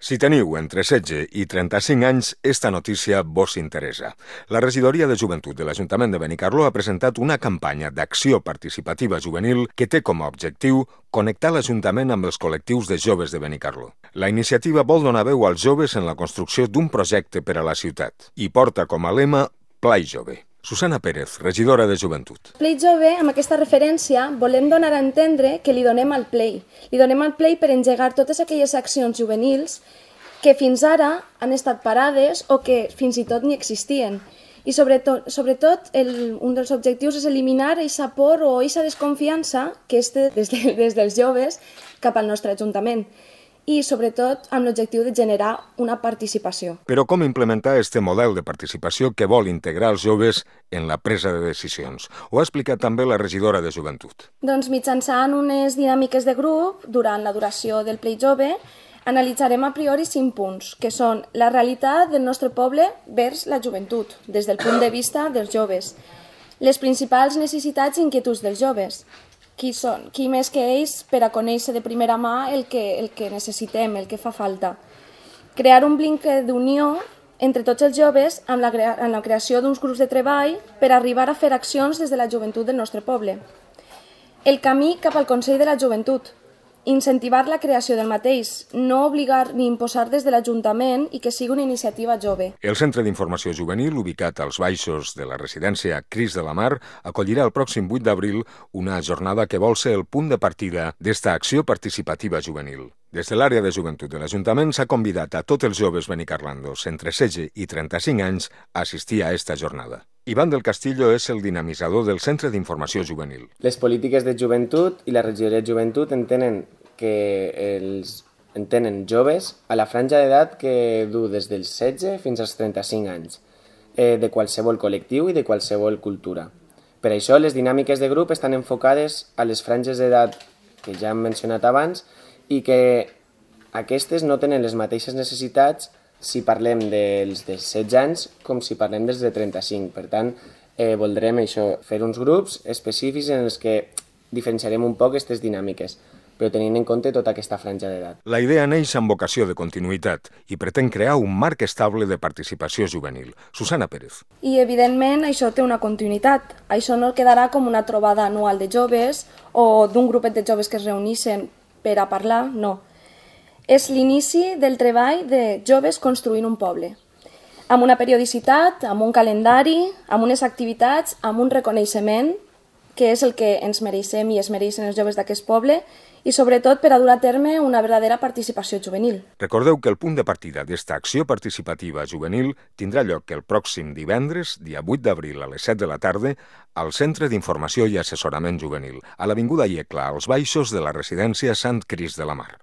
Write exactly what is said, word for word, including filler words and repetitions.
Si teniu entre setze i trenta-cinc anys, esta notícia vos interessa. La Regidoria de Joventut de l'Ajuntament de Benicarló ha presentat una campanya d'acció participativa juvenil que té com a objectiu connectar l'Ajuntament amb els col·lectius de joves de Benicarló. La iniciativa vol donar veu als joves en la construcció d'un projecte per a la ciutat i porta com a lema Plai Jove. Susana Pérez, regidora de Joventut. Play Jove, amb aquesta referència, volem donar a entendre que li donem al Play. Li donem al Play per engegar totes aquelles accions juvenils que fins ara han estat parades o que fins i tot ni existien. I sobretot, sobretot el, un dels objectius és eliminar aquesta por o aquesta desconfiança que és des, de, des dels joves cap al nostre Ajuntament. I, sobretot, amb l'objectiu de generar una participació. Però com implementar este model de participació que vol integrar els joves en la presa de decisions? Ho ha explicat també la regidora de Joventut. Doncs mitjançant unes dinàmiques de grup, durant la duració del Play Jove, analitzarem a priori cinc punts, que són la realitat del nostre poble vers la joventut, des del punt de vista dels joves, les principals necessitats i inquietuds dels joves, qui són, qui més que ells per a conèixer de primera mà el que, el que necessitem, el que fa falta. Crear un vincle d'unió entre tots els joves amb la, amb la creació d'uns grups de treball per arribar a fer accions des de la joventut del nostre poble. El camí cap al Consell de la Joventut. Incentivar la creació del mateix, no obligar ni imposar des de l'Ajuntament i que sigui una iniciativa jove. El Centre d'Informació Juvenil, ubicat als baixos de la residència Cris de la Mar, acollirà el pròxim vuit d'abril una jornada que vol ser el punt de partida d'esta acció participativa juvenil. Des de l'àrea de joventut de l'Ajuntament s'ha convidat a tots els joves benicarlandos entre setze i trenta-cinc anys a assistir a esta jornada. Ivan del Castillo és el dinamitzador del Centre d'Informació Juvenil. Les polítiques de joventut i la regidoria de joventut entenen que els entenen joves a la franja d'edat que du des dels setze fins als trenta-cinc anys, eh, de qualsevol col·lectiu i de qualsevol cultura. Per això, les dinàmiques de grup estan enfocades a les franges d'edat que ja hem mencionat abans i que aquestes no tenen les mateixes necessitats si parlem dels de setze anys com si parlem dels de trenta-cinc. Per tant, eh, voldrem això, fer uns grups específics en els que diferenciarem un poc aquestes dinàmiques, però tenint en compte tota aquesta franja d'edat. La idea neix amb vocació de continuïtat i pretén crear un marc estable de participació juvenil. Susana Pérez. I, evidentment, això té una continuïtat. Això no quedarà com una trobada anual de joves o d'un grupet de joves que es reuneixen per a parlar, no. És l'inici del treball de joves construint un poble, amb una periodicitat, amb un calendari, amb unes activitats, amb un reconeixement, que és el que ens mereixem i es mereixen els joves d'aquest poble, i sobretot per a dur a terme una verdadera participació juvenil. Recordeu que el punt de partida d'esta acció participativa juvenil tindrà lloc el pròxim divendres, dia vuit d'abril a les set de la tarda, al Centre d'Informació i Assessorament Juvenil, a l'Avinguda Iecla, als baixos de la residència Sant Cris de la Mar.